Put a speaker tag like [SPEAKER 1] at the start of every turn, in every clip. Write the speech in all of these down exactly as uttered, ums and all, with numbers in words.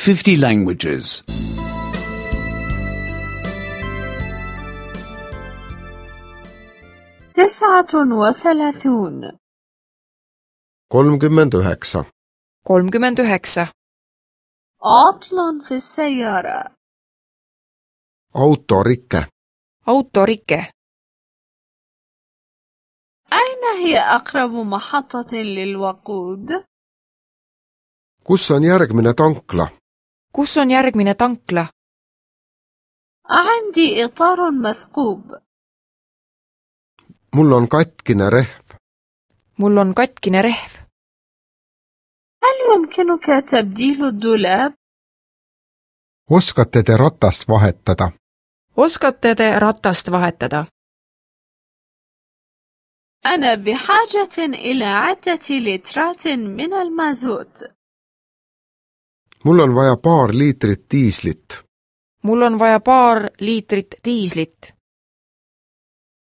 [SPEAKER 1] fifty languages.
[SPEAKER 2] تسعة وثلاثون.
[SPEAKER 3] kolmkümmend üheksa.
[SPEAKER 4] kolmkümmend üheksa.
[SPEAKER 2] عطل في السيارة.
[SPEAKER 3] autorike.
[SPEAKER 4] autorike.
[SPEAKER 2] أين هي أقرب محطة للوقود؟
[SPEAKER 3] kus on järgmine tankla?
[SPEAKER 4] kus on järgmine tankla?
[SPEAKER 2] عندي إطار مثقوب.
[SPEAKER 3] mul on katkine rehv.
[SPEAKER 4] mul on katkine rehv.
[SPEAKER 2] هل يمكنك تبديل الدولاب؟
[SPEAKER 3] oskate te ratast vahetada?
[SPEAKER 4] oskate te ratast vahetada?
[SPEAKER 2] أنا بحاجة إلى عدة لترات من المازوت.
[SPEAKER 3] mul on vaja paar liitrit diislit.
[SPEAKER 4] mul on vaja paar liitrit diislit.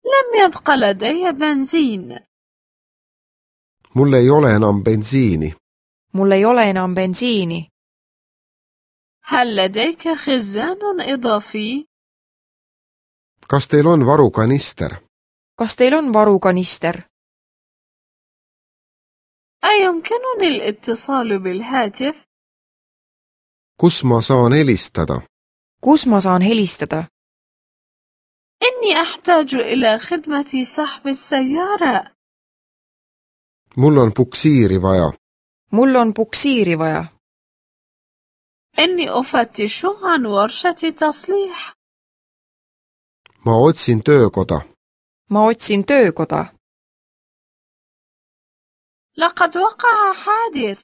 [SPEAKER 2] لم يبق لدي بنزين.
[SPEAKER 3] mul ei ole enam bensiini.
[SPEAKER 4] mul ei ole enam bensiini.
[SPEAKER 2] هل لديك خزان إضافي؟
[SPEAKER 3] kas teil on varukanister?
[SPEAKER 4] kas teil on varukanister?
[SPEAKER 2] أيمكنني الاتصال بالهاتف؟
[SPEAKER 3] kus ma saan helistada?
[SPEAKER 4] kus ma saan helistada?
[SPEAKER 2] إني أحتاج إلى خدمة سحب السيارة.
[SPEAKER 3] mul on puksiiri vaja.
[SPEAKER 4] mul on puksiiri vaja.
[SPEAKER 2] إني أفتش عن ورشة تصليح.
[SPEAKER 3] ma otsin töökoda.
[SPEAKER 4] ma otsin töökoda.
[SPEAKER 2] لقد وقع حادث.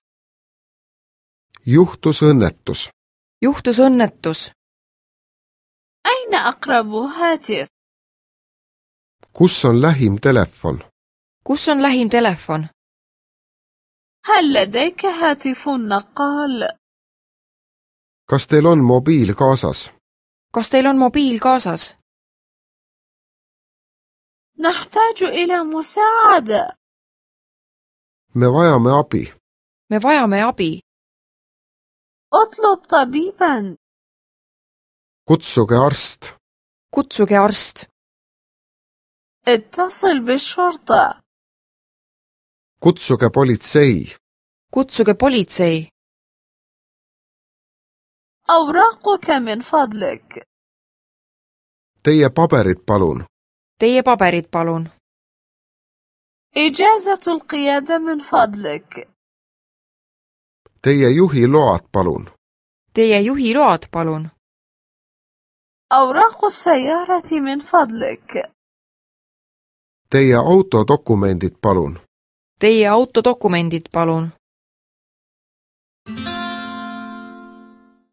[SPEAKER 3] juhtus õnnetus.
[SPEAKER 4] juhtus õnnetus.
[SPEAKER 2] أين أقرب هاتف؟
[SPEAKER 3] kus on lähim telefon?
[SPEAKER 4] kus on lähim telefon?
[SPEAKER 2] هل لديك هاتف نقال؟
[SPEAKER 3] kas teil on mobiil kaasas?
[SPEAKER 4] kas teil on mobiil kaasas?
[SPEAKER 2] نحتاج إلى مساعدة.
[SPEAKER 3] me vajame abi.
[SPEAKER 4] me vajame abi.
[SPEAKER 2] اطلب طبيبا.
[SPEAKER 3] kutsuge arst.
[SPEAKER 4] kutsuge arst.
[SPEAKER 2] اتصل بالشرطة.
[SPEAKER 3] kutsuge politsei.
[SPEAKER 4] kutsuge politsei.
[SPEAKER 2] أوراقك من فضلك.
[SPEAKER 3] teie paberid palun.
[SPEAKER 4] teie paberid palun.
[SPEAKER 2] إجازة القيادة من فضلك.
[SPEAKER 3] teie juhiload palun.
[SPEAKER 4] teie juhiload palun.
[SPEAKER 2] أوراق السيارة من فضلك.
[SPEAKER 3] teie autodokumendid palun.
[SPEAKER 4] teie autodokumendid palun.